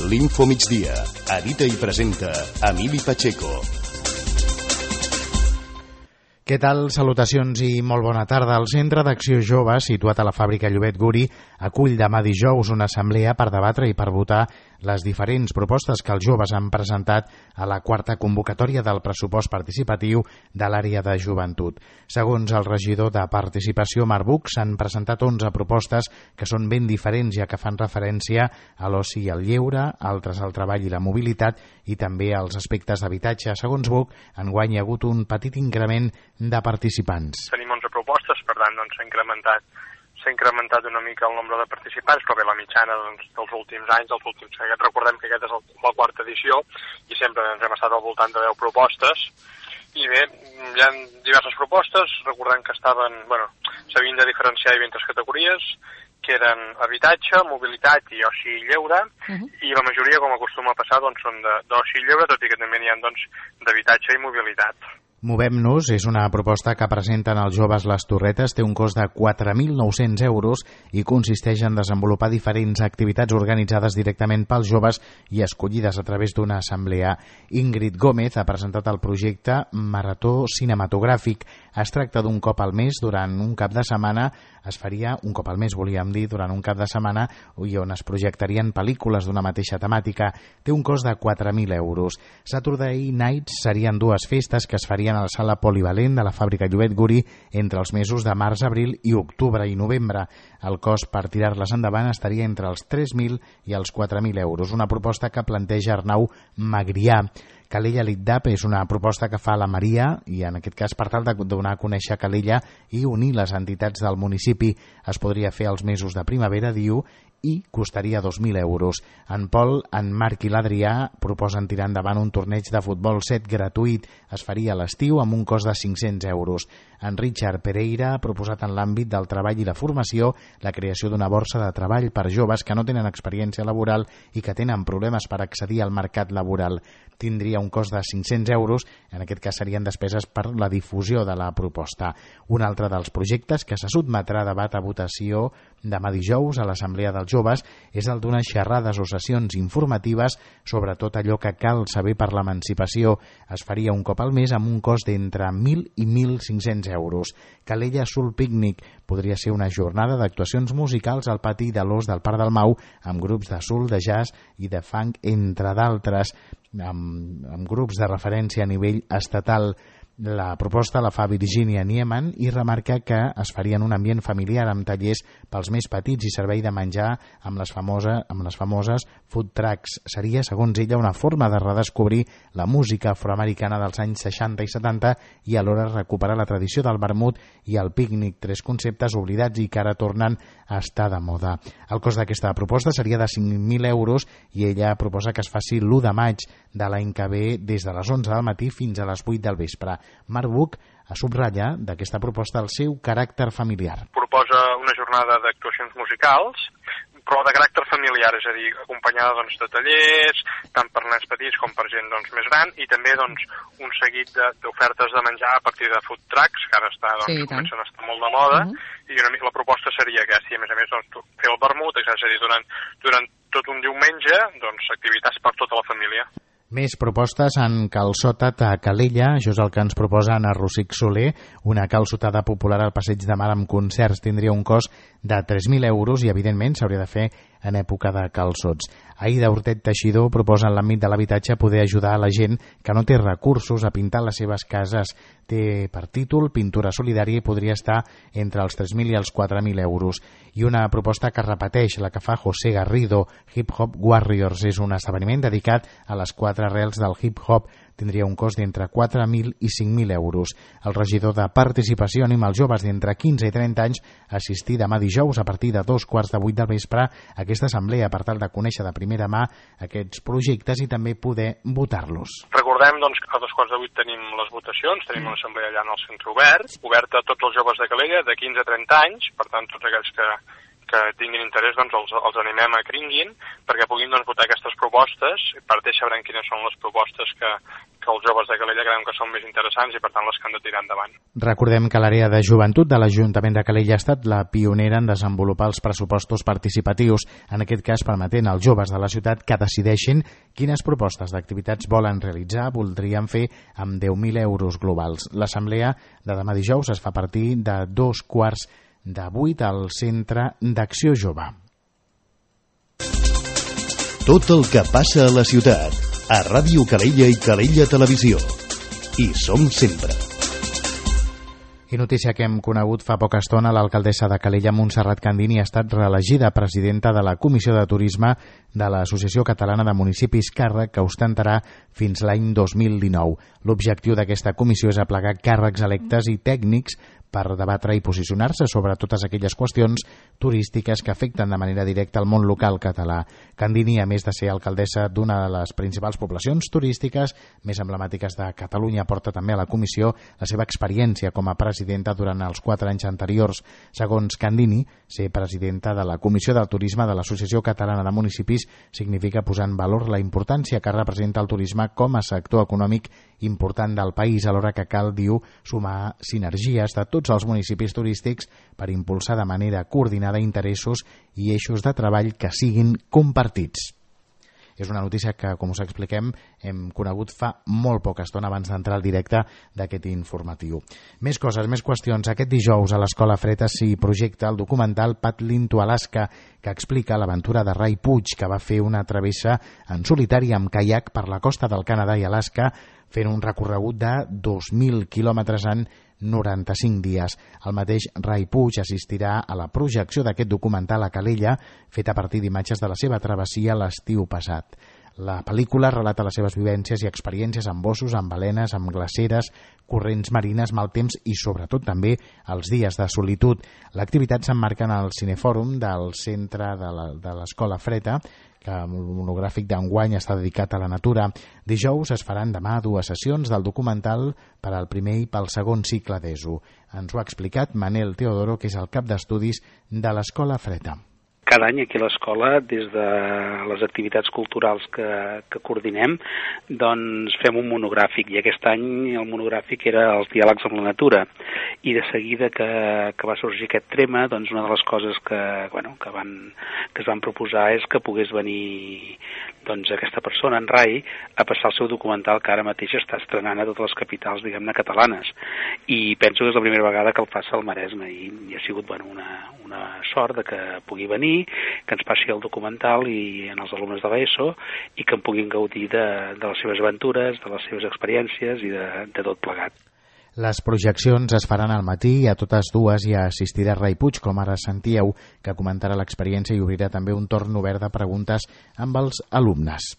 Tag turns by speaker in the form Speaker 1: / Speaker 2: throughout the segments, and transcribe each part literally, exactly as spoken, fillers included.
Speaker 1: L'Info Migdia. Edita i presenta Emili Pacheco.
Speaker 2: Què tal? Salutacions i molt bona tarda. El Centre d'Acció Jove, situat a la fàbrica Llobet Guri, acull demà dijous una assemblea per debatre i per votar les diferents propostes que els joves han presentat a la quarta convocatòria del pressupost participatiu de l'àrea de joventut. Segons el regidor de Participació, Marc Buch, s'han presentat onze propostes que són ben diferents, ja que fan referència a l'oci i al lleure, altres al treball i la mobilitat i també als aspectes d'habitatge. Segons Buch, enguany hi ha hagut un petit increment de participants.
Speaker 3: Tenim onze propostes, per tant doncs, s'ha incrementat s'ha incrementat una mica el nombre de participants, però bé, la mitjana doncs, dels últims anys, dels últims anys, recordem que aquesta és la quarta edició i sempre ens hem estat al voltant de deu propostes. I bé, hi ha diverses propostes, recordem que estaven, bueno, s'havien de diferenciar en diferents categories, que eren habitatge, mobilitat i oci i lleure, uh-huh. i la majoria, com acostuma a passar, doncs, són d'oci i lleure, tot i que també n'hi ha doncs, d'habitatge i mobilitat.
Speaker 2: Movem-nos és una proposta que presenten els joves Les Torretes, té un cost de quatre mil nou-cents euros i consisteix en desenvolupar diferents activitats organitzades directament pels joves i escollides a través d'una assemblea. Ingrid Gómez ha presentat el projecte Marató Cinematogràfic. Es tracta d'un cop al mes durant un cap de setmana, es faria un cop al mes, volíem dir, durant un cap de setmana, i on es projectarien pel·lícules d'una mateixa temàtica. Té un cost de quatre mil euros. Saturday Nights serien dues festes que es farien a la sala polivalent de la fàbrica Llobet Guri entre els mesos de març, abril i octubre i novembre. El cost per tirar-les endavant estaria entre els tres mil i els quatre mil euros. Una proposta que planteja Arnau Magrià. Calella Litdap és una proposta que fa la Maria i en aquest cas per tal de donar a conèixer Calella i unir les entitats del municipi. Es podria fer als mesos de primavera, diu, i costaria dos mil euros. En Pol, en Marc i l'Adrià proposen tirar endavant un torneig de futbol set gratuït. Es faria a l'estiu amb un cost de cinc-cents euros. En Richard Pereira ha proposat en l'àmbit del treball i la formació la creació d'una borsa de treball per joves que no tenen experiència laboral i que tenen problemes per accedir al mercat laboral. Tindria un cost de cinc-cents euros, en aquest cas serien despeses per la difusió de la proposta. Un altre dels projectes que se sotmetrà a debat a votació demà dijous a l'Assemblea dels Joves és el d'unes xerrades o sessions informatives sobre tot allò que cal saber per l'emancipació. Es faria un cop al mes amb un cost d'entre mil i mil cinc-cents euros. Calella Soul Picnic podria ser una jornada d'actuacions musicals al pati de l'Os del Parc del Mau amb grups de soul, de jazz i de funk, entre d'altres, amb, amb grups de referència a nivell estatal. La proposta la fa Virginia Nieman i remarca que es faria en un ambient familiar amb tallers pels més petits i servei de menjar amb les, famosa, amb les famoses food trucks. Seria, segons ella, una forma de redescobrir la música afroamericana dels anys seixanta i setanta i alhora recuperar la tradició del vermut i el pícnic, tres conceptes oblidats i que ara tornen a estar de moda. El cost d'aquesta proposta seria de cinc mil euros i ella proposa que es faci l'u de maig de l'any que ve des de les onze del matí fins a les vuit del vespre. Marc Buch a subratllar d'aquesta proposta el seu caràcter familiar.
Speaker 3: Proposa una jornada d'actuacions musicals, però de caràcter familiar, és a dir, acompanyada doncs, de tallers, tant per nens petits com per gent doncs, més gran, i també doncs, un seguit d'ofertes de, de menjar a partir de food trucks, que ara està, doncs, sí, comencen a estar molt de moda, uh-huh. i una mica la proposta seria aquesta, i a més a més doncs, fer el vermut, és a dir, durant, durant tot un diumenge, doncs, activitats per tota la família.
Speaker 2: Més propostes en calçotat a Calella, això és el que ens proposa Anna Rosic Soler, una calçotada popular al Passeig de Mar amb concerts, tindria un cost de tres mil euros i evidentment s'hauria de fer en època de calçots. Aida Hortet Teixidor proposa en l'àmbit de l'habitatge poder ajudar a la gent que no té recursos a pintar les seves cases. Té per títol Pintura Solidària i podria estar entre els tres mil i els quatre mil euros. I una proposta que repeteix, la que fa José Garrido, Hip Hop Warriors, és un esdeveniment dedicat a les quatre arrels del hip hop. Tindria un cost d'entre quatre mil i cinc mil euros. El regidor de Participació anima els joves d'entre quinze i trenta anys a assistir demà dijous a partir de dos quarts de vuit del vespre a aquesta assemblea per tal de conèixer de primera mà aquests projectes i també poder votar-los.
Speaker 3: Recordem doncs, que a dos quarts de vuit tenim les votacions, tenim una assemblea allà en el centre obert, oberta a tots els joves de Calella de quinze a trenta anys, per tant tots aquells que que tinguin interès, doncs els, els animem a que vinguin perquè puguin doncs, votar aquestes propostes. Per tant, sabran quines són les propostes que, que els joves de Calella creiem que són més interessants i per tant les que han de tirar endavant.
Speaker 2: Recordem que l'àrea de joventut de l'Ajuntament de Calella ha estat la pionera en desenvolupar els pressupostos participatius, en aquest cas permetent als joves de la ciutat que decideixin quines propostes d'activitats volen realitzar, voldrien fer amb deu mil euros globals. L'assemblea de demà dijous es fa a partir de dos quarts de vuit al Centre d'Acció Jove.
Speaker 1: Tot el que passa a la ciutat, a Ràdio Calella i Calella Televisió. Hi som sempre.
Speaker 2: I notícia que hem conegut fa poca estona, l'alcaldessa de Calella, Montserrat Candini, ha estat reelegida presidenta de la Comissió de Turisme de l'Associació Catalana de Municipis, càrrec que ostentarà fins l'any dos mil dinou. L'objectiu d'aquesta comissió és aplegar càrrecs electes i tècnics per debatre i posicionar-se sobre totes aquelles qüestions turístiques que afecten de manera directa el món local català. Candini, a més de ser alcaldessa d'una de les principals poblacions turístiques més emblemàtiques de Catalunya, porta també a la comissió la seva experiència com a presidenta durant els quatre anys anteriors. Segons Candini, ser presidenta de la Comissió del Turisme de l'Associació Catalana de Municipis significa posar en valor la importància que representa el turisme com a sector econòmic important del país, alhora que cal, diu, sumar sinergies de tots els municipis turístics per impulsar de manera coordinada interessos i eixos de treball que siguin compartits. És una notícia que, com us expliquem, hem conegut fa molt poca estona abans d'entrar al directe d'aquest informatiu. Més coses, més qüestions. Aquest dijous a l'Escola Freta s'hi projecta el documental Paddling to Alaska, que explica l'aventura de Ray Puig, que va fer una travessa en solitari amb caiac per la costa del Canadà i Alaska, fent un recorregut de dos mil quilòmetres en noranta-cinc dies. El mateix Ray Puig assistirà a la projecció d'aquest documental a Calella, fet a partir d'imatges de la seva travessia l'estiu passat. La pel·lícula relata les seves vivències i experiències amb ossos, amb balenes, amb glaceres, corrents marines, mal temps i sobretot també els dies de solitud. L'activitat s'emmarca en el Cinefòrum del centre de l'Escola Freta, que el monogràfic d'enguany està dedicat a la natura. Dijous es faran demà dues sessions del documental per al primer i pel segon cicle d'ESO. Ens ho ha explicat Manel Teodoro, que és el cap d'estudis de l'Escola Freta.
Speaker 4: Cada any aquí a l'escola, des de les activitats culturals que, que coordinem, doncs fem un monogràfic, i aquest any el monogràfic era els diàlegs amb la natura. I de seguida que, que va sorgir aquest tema, doncs una de les coses que, bueno, que, van, que es van proposar és que pogués venir doncs, aquesta persona, en Rai, a passar el seu documental que ara mateix està estrenant a totes les capitals, diguem-ne, catalanes. I penso que és la primera vegada que el fa al Maresme, i, i ha sigut bueno, una, una sort de que pugui venir, que ens passi el documental i en els alumnes de l'ESO i que en puguin gaudir de, de les seves aventures, de les seves experiències i de, de tot plegat.
Speaker 2: Les projeccions es faran al matí i a totes dues hi assistirà Ray Puig, com ara sentíeu, que comentarà l'experiència i obrirà també un torn obert de preguntes amb els alumnes.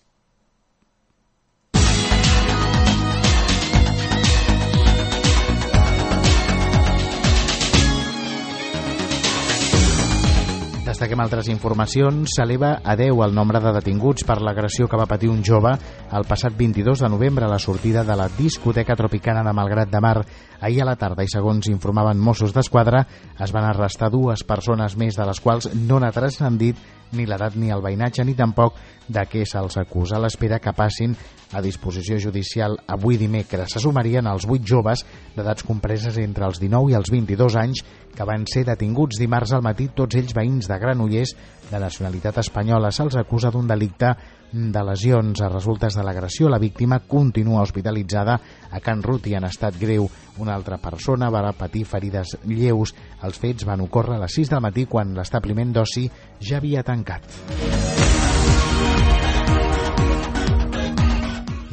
Speaker 2: Destaquem altres informacions. S'eleva a deu el nombre de detinguts per l'agressió que va patir un jove el passat vint-i-dos de novembre a la sortida de la discoteca Tropicana de Malgrat de Mar. Ahir a la tarda, i segons informaven Mossos d'Esquadra, es van arrestar dues persones més, de les quals no n'ha transcendit ni l'edat ni el veïnatge ni tampoc de què se'ls acusa. A l'espera que passin a disposició judicial avui dimecres. Se sumarien els vuit joves d'edats compreses entre els dinou i els vint-i-dos anys que van ser detinguts dimarts al matí, tots ells veïns de Granollers de nacionalitat espanyola. Se'ls acusa d'un delicte de lesions a resultes de l'agressió. La víctima continua hospitalitzada a Can Ruti en estat greu. Una altra persona va patir ferides lleus. Els fets van ocórrer a les sis del matí quan l'establiment d'oci ja havia tancat.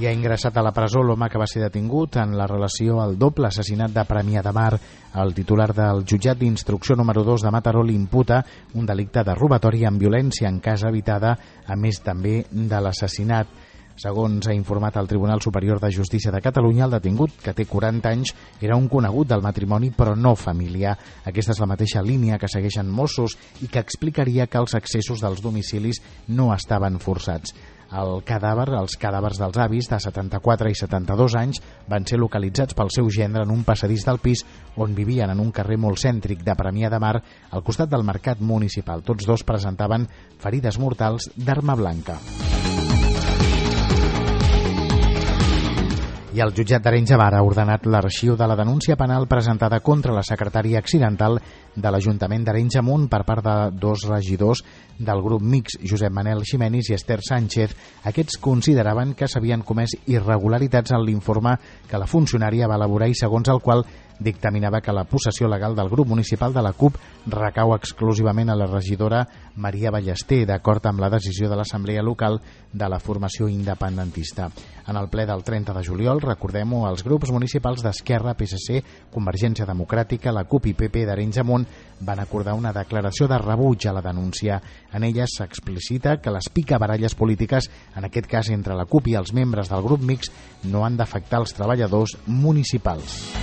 Speaker 2: I ha ingressat a la presó l'home que va ser detingut en la relació al doble assassinat de Premià de Mar. El titular del jutjat d'instrucció número dos de Mataró li imputa un delicte de robatori amb violència en casa habitada, a més també de l'assassinat. Segons ha informat el Tribunal Superior de Justícia de Catalunya, el detingut, que té quaranta anys, era un conegut del matrimoni però no familiar. Aquesta és la mateixa línia que segueixen Mossos i que explicaria que els accessos dels domicilis no estaven forçats. El cadàver, els cadàvers dels avis de setanta-quatre i setanta-dos anys van ser localitzats pel seu gendre en un passadís del pis on vivien en un carrer molt cèntric de Premià de Mar, al costat del mercat municipal. Tots dos presentaven ferides mortals d'arma blanca. I el jutjat d'Arenys de Mar ha ordenat l'arxiu de la denúncia penal presentada contra la secretària accidental de l'Ajuntament d'Arenys de Munt per part de dos regidors del grup mixt, Josep Manel Ximenis i Esther Sánchez. Aquests consideraven que s'havien comès irregularitats en l'informe que la funcionària va elaborar i segons el qual dictaminava que la possessió legal del grup municipal de la CUP recau exclusivament a la regidora Maria Ballester, d'acord amb la decisió de l'Assemblea Local de la formació independentista. En el ple del trenta de juliol, recordem-ho, els grups municipals d'Esquerra, P S C, Convergència Democràtica, la CUP i P P d'Arenys de Munt van acordar una declaració de rebuig a la denúncia. En ella s'explicita que les picabaralles polítiques, en aquest cas entre la CUP i els membres del grup mixt, no han d'afectar els treballadors municipals.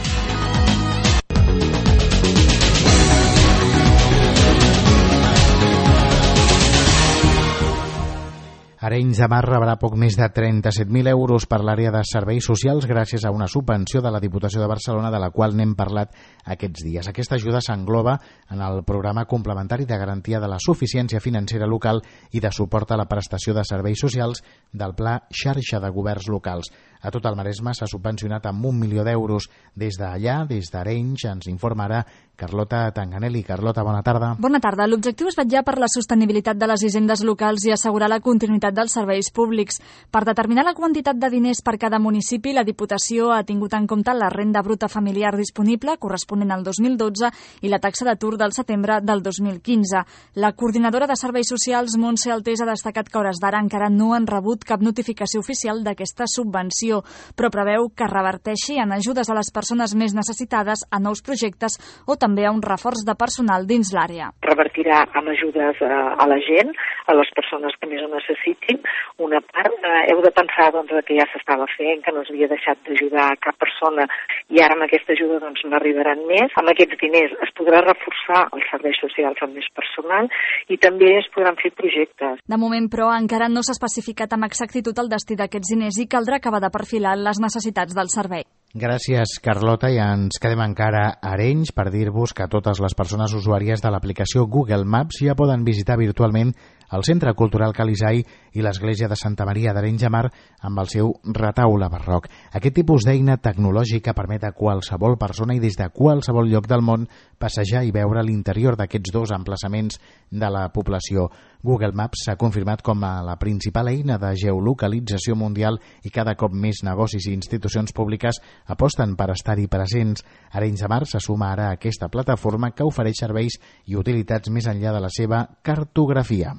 Speaker 2: Arenys de Mar rebrà poc més de trenta-set mil euros per l'àrea de serveis socials gràcies a una subvenció de la Diputació de Barcelona, de la qual n'hem parlat aquests dies. Aquesta ajuda s'engloba en el programa complementari de garantia de la suficiència financera local i de suport a la prestació de serveis socials del Pla Xarxa de Governs Locals. A tot el Maresme s'ha subvencionat amb un milió d'euros. Des d'allà, des d'Arenys, ens informa ara Carlota Tanganelli. Carlota, bona tarda.
Speaker 5: Bona tarda. L'objectiu és vetllar per la sostenibilitat de les hisendes locals i assegurar la continuïtat dels serveis públics. Per determinar la quantitat de diners per cada municipi, la Diputació ha tingut en compte la renda bruta familiar disponible, corresponent al dos mil dotze, i la taxa d'atur del setembre del dos mil quinze. La coordinadora de serveis socials, Montse Altés, ha destacat que a hores d'ara encara no han rebut cap notificació oficial d'aquesta subvenció, però preveu que reverteixi en ajudes a les persones més necessitades, a nous projectes o també a un reforç de personal dins l'àrea.
Speaker 6: Revertirà amb ajudes a la gent, a les persones que més ho necessitin. Una part, eh, heu de pensar doncs, que ja s'estava fent, que no s'havia deixat d'ajudar cap persona i ara amb aquesta ajuda doncs, n'arribaran més. Amb aquests diners es podrà reforçar els serveis socials amb més personal i també es podran fer projectes.
Speaker 5: De moment, però, encara no s'ha especificat amb exactitud el destí d'aquests diners i caldrà acabar de perfilar les necessitats del servei.
Speaker 2: Gràcies, Carlota, i ens quedem encara a Arenys per dir-vos que totes les persones usuàries de l'aplicació Google Maps ja poden visitar virtualment el Centre Cultural Calisai i l'Església de Santa Maria d'Arenys de Mar amb el seu retaule barroc. Aquest tipus d'eina tecnològica permet a qualsevol persona i des de qualsevol lloc del món passejar i veure l'interior d'aquests dos emplaçaments de la població. Google Maps s'ha confirmat com a la principal eina de geolocalització mundial i cada cop més negocis i institucions públiques aposten per estar-hi presents. Arenys de Mar se suma ara a aquesta plataforma que ofereix serveis i utilitats més enllà de la seva cartografia.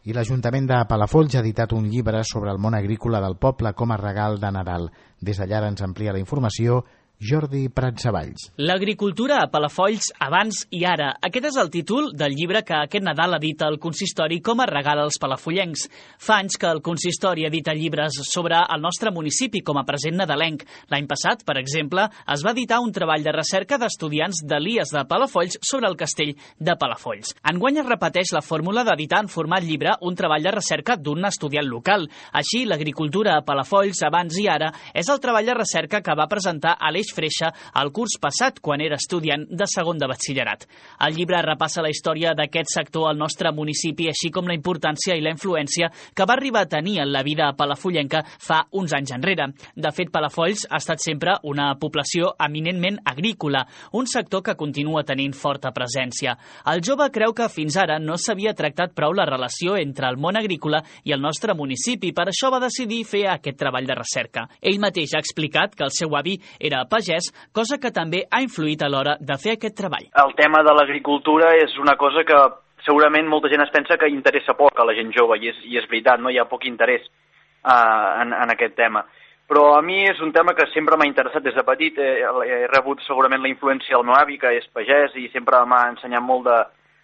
Speaker 2: I l'Ajuntament de Palafolls ha editat un llibre sobre el món agrícola del poble com a regal de Nadal. Des d'allà ens amplia la informació Jordi Pratsavalls.
Speaker 7: L'agricultura a Palafolls abans i ara. Aquest és el títol del llibre que aquest Nadal edita el consistori com a regal als palafollencs. Fa anys que el consistori edita llibres sobre el nostre municipi com a present nadalenc. L'any passat, per exemple, es va editar un treball de recerca d'estudiants de l'I E S de Palafolls sobre el castell de Palafolls. Enguany es repeteix la fórmula d'editar en format llibre un treball de recerca d'un estudiant local. Així, l'agricultura a Palafolls abans i ara és el treball de recerca que va presentar Aleix Freixa el curs passat quan era estudiant de segon de batxillerat. El llibre repassa la història d'aquest sector al nostre municipi, així com la importància i la influència que va arribar a tenir en la vida palafollenca fa uns anys enrere. De fet, Palafolls ha estat sempre una població eminentment agrícola, un sector que continua tenint forta presència. El jove creu que fins ara no s'havia tractat prou la relació entre el món agrícola i el nostre municipi, per això va decidir fer aquest treball de recerca. Ell mateix ha explicat que el seu avi era pagès, cosa que també ha influït a l'hora de fer aquest treball.
Speaker 8: El tema de l'agricultura és una cosa que segurament molta gent es pensa que interessa poc a la gent jove, i és, i és veritat, no hi ha poc interès uh, en, en aquest tema. Però a mi és un tema que sempre m'ha interessat des de petit. He, he rebut segurament la influència del meu avi, que és pagès, i sempre m'ha ensenyat molt de,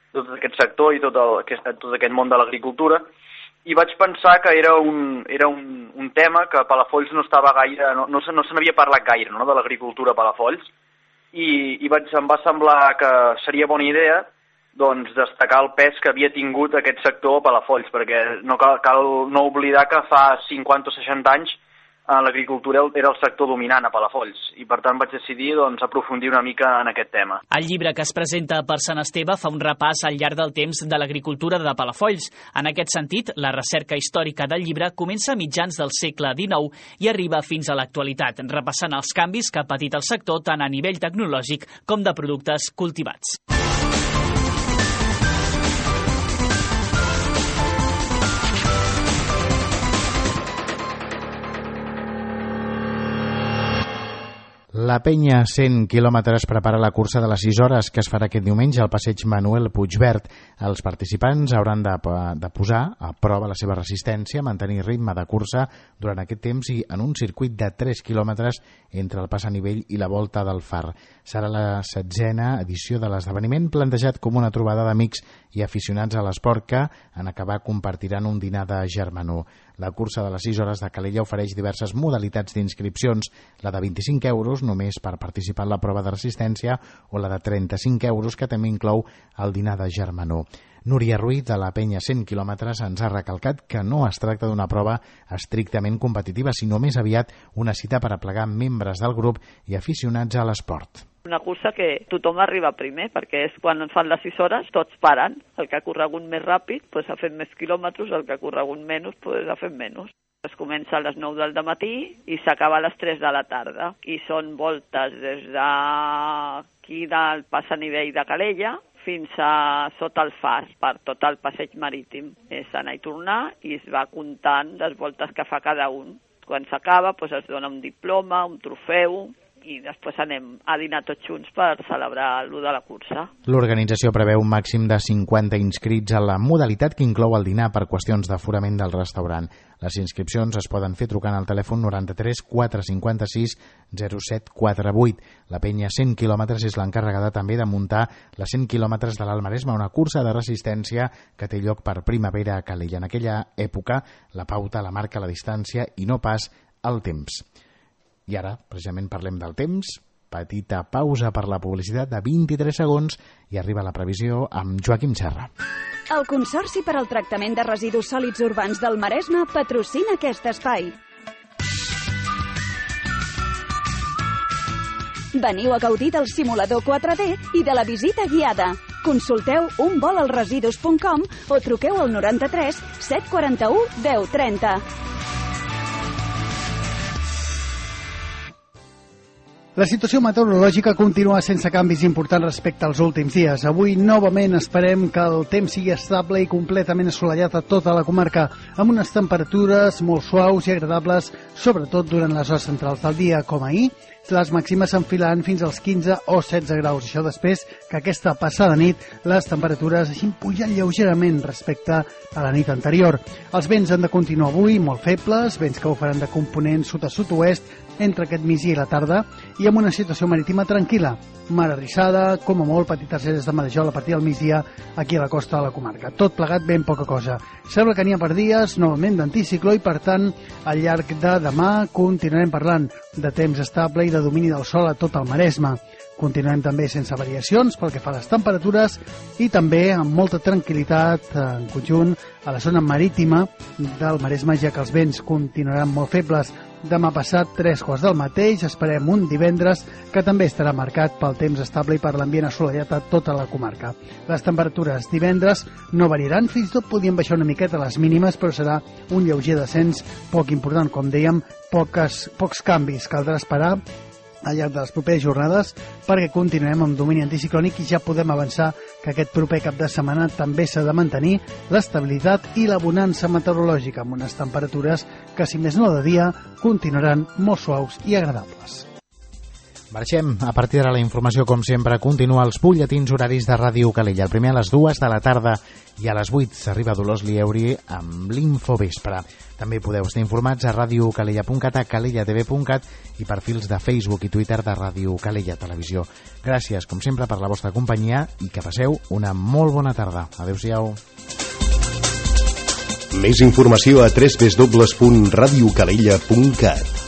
Speaker 8: de tot aquest sector i tot, el, aquest, tot aquest món de l'agricultura. I vaig pensar que era un, era un, un tema que a Palafolls no estava gaire, no, no, se, no se n'havia parlat gaire, no, de l'agricultura a Palafolls, i, i vaig, em va semblar que seria bona idea doncs, destacar el pes que havia tingut aquest sector a Palafolls, perquè no cal, cal no oblidar que fa cinquanta o seixanta anys l'agricultura era el sector dominant a Palafolls i per tant vaig decidir doncs, aprofundir una mica en aquest tema.
Speaker 7: El llibre que es presenta per Sant Esteve fa un repàs al llarg del temps de l'agricultura de Palafolls. En aquest sentit, la recerca històrica del llibre comença a mitjans del segle dinou i arriba fins a l'actualitat, repassant els canvis que ha patit el sector tant a nivell tecnològic com de productes cultivats.
Speaker 2: La penya cent quilòmetres prepara la cursa de les sis hores que es farà aquest diumenge al passeig Manuel Puigverd. Els participants hauran de, de posar a prova la seva resistència, mantenir ritme de cursa durant aquest temps i en un circuit de tres quilòmetres entre el pas a nivell i la volta del Far. Serà la setzena edició de l'esdeveniment, plantejat com una trobada d'amics i aficionats a l'esport que, en acabar, compartiran un dinar de germanor. La cursa de les sis hores de Calella ofereix diverses modalitats d'inscripcions, la de vint-i-cinc euros només per participar en la prova de resistència o la de trenta-cinc euros que també inclou el dinar de germanor. Núria Ruiz, de la penya cent quilòmetres, ens ha recalcat que no es tracta d'una prova estrictament competitiva, sinó més aviat una cita per aplegar membres del grup i aficionats a l'esport.
Speaker 9: Una cursa que tothom arriba primer, perquè és quan fan les sis hores, tots paren. El que ha corregut més ràpid pues, ha fet més quilòmetres, el que ha corregut menys pues, ha fet menys. Es comença a les nou del matí i s'acaba a les tres de la tarda. I són voltes des d'aquí del pas a nivell de Calella fins a sota el Far, per tot el passeig marítim. És anar i tornar i es va comptant les voltes que fa cada un. Quan s'acaba pues, es dona un diploma, un trofeu, i després anem a dinar tots junts per celebrar l'u de la cursa.
Speaker 2: L'organització preveu un màxim de cinquanta inscrits a la modalitat que inclou el dinar per qüestions d'aforament del restaurant. Les inscripcions es poden fer trucant al telèfon noranta-tres quatre cinquanta-sis zero set quaranta-vuit. La penya cent quilòmetres és l'encarregada també de muntar les cent quilòmetres de l'Alt Maresme, una cursa de resistència que té lloc per primavera a Calella. En aquella època, la pauta la marca la distància i no pas el temps. I ara, precisament, parlem del temps. Petita pausa per la publicitat de vint-i-tres segons i arriba la previsió amb Joaquim Serra.
Speaker 10: El Consorci per al Tractament de Residus Sòlids Urbans del Maresme patrocina aquest espai. Veniu a gaudir del simulador quatre D i de la visita guiada. Consulteu un vol als residus punt com o truqueu al noranta-tres set quaranta-u deu trenta.
Speaker 11: La situació meteorològica continua sense canvis importants respecte als últims dies. Avui, novament, esperem que el temps sigui estable i completament assolellat a tota la comarca, amb unes temperatures molt suaus i agradables, sobretot durant les hores centrals del dia, com ahir, les màximes s'enfilant fins als quinze o setze graus. Això després que aquesta passada nit les temperatures hagin pujat lleugerament respecte a la nit anterior. Els vents han de continuar avui molt febles, vents que ho faran de component sud a sud-oest entre aquest migdia i la tarda, i amb una situació marítima tranquil·la. Mar arrissada, com a molt petites eres de marejol a partir del migdia aquí a la costa de la comarca. Tot plegat ben poca cosa. Sembla que n'hi ha per dies novament d'anticicló i, per tant, al llarg de demà continuarem parlant de temps estable i de domini del sol a tot el Maresme. Continuem també sense variacions pel que fa a les temperatures i també amb molta tranquil·litat en conjunt a la zona marítima del Maresme, ja que els vents continuaran molt febles. Demà passat, tres quarts del mateix, esperem un divendres que també estarà marcat pel temps estable i per l'ambient assolellat a tota la comarca. Les temperatures divendres no variaran, fins i tot podien baixar una miqueta les mínimes, però serà un lleuger descens poc important, com dèiem, poques, pocs canvis. Caldrà esperar al llarg de les properes jornades perquè continuem amb domini anticiclònic i ja podem avançar que aquest proper cap de setmana també s'ha de mantenir l'estabilitat i la bonança meteorològica amb unes temperatures que, si més no de dia, continuaran molt suaus i agradables.
Speaker 2: Marxem. A partir de la informació, com sempre, continua els butlletins horaris de Ràdio Calella. El primer a les dues de la tarda i a les vuit s'arriba Dolors Lieuri amb l'Infovespre. També podeu estar informats a ràdio calella punt cat, a calella t v punt cat i perfils de Facebook i Twitter de Ràdio Calella Televisió. Gràcies, com sempre, per la vostra companyia i que passeu una molt bona tarda. Adéu-siau.
Speaker 1: Més informació a w w w punt ràdio calella punt cat.